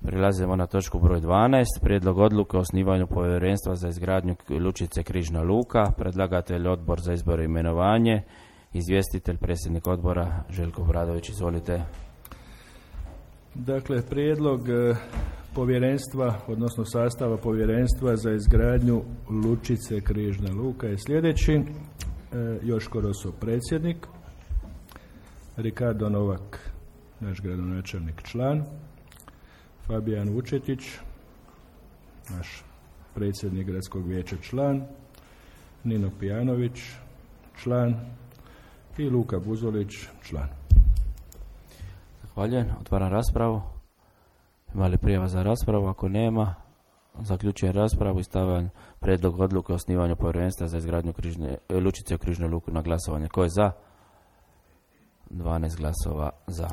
Prilazimo na točku broj 12. Prijedlog odluke o osnivanju povjerenstva za izgradnju lučice Križna luka. Predlagatelj Odbor za izbor i imenovanje. Izvjestitelj predsjednik odbora Željko Obradović. Izvolite. Dakle, prijedlog povjerenstva, odnosno sastava povjerenstva za izgradnju lučice Križna luka je sljedeći. Joško Roso predsjednik, Ricardo Novak, naš gradonačelnik, član, Fabijan Vučetić, naš predsjednik gradskog vijeća, član, Nino Pijanović, član, i Luka Buzolić, član. Zahvaljujem. Otvaram raspravu. Ima li prijava za raspravu? Ako nema, zaključujem raspravu i stavljam prijedlog odluke o osnivanju povjerenstva za izgradnju lučice u Križnu luku na glasovanje. Ko je za? 12 glasova za.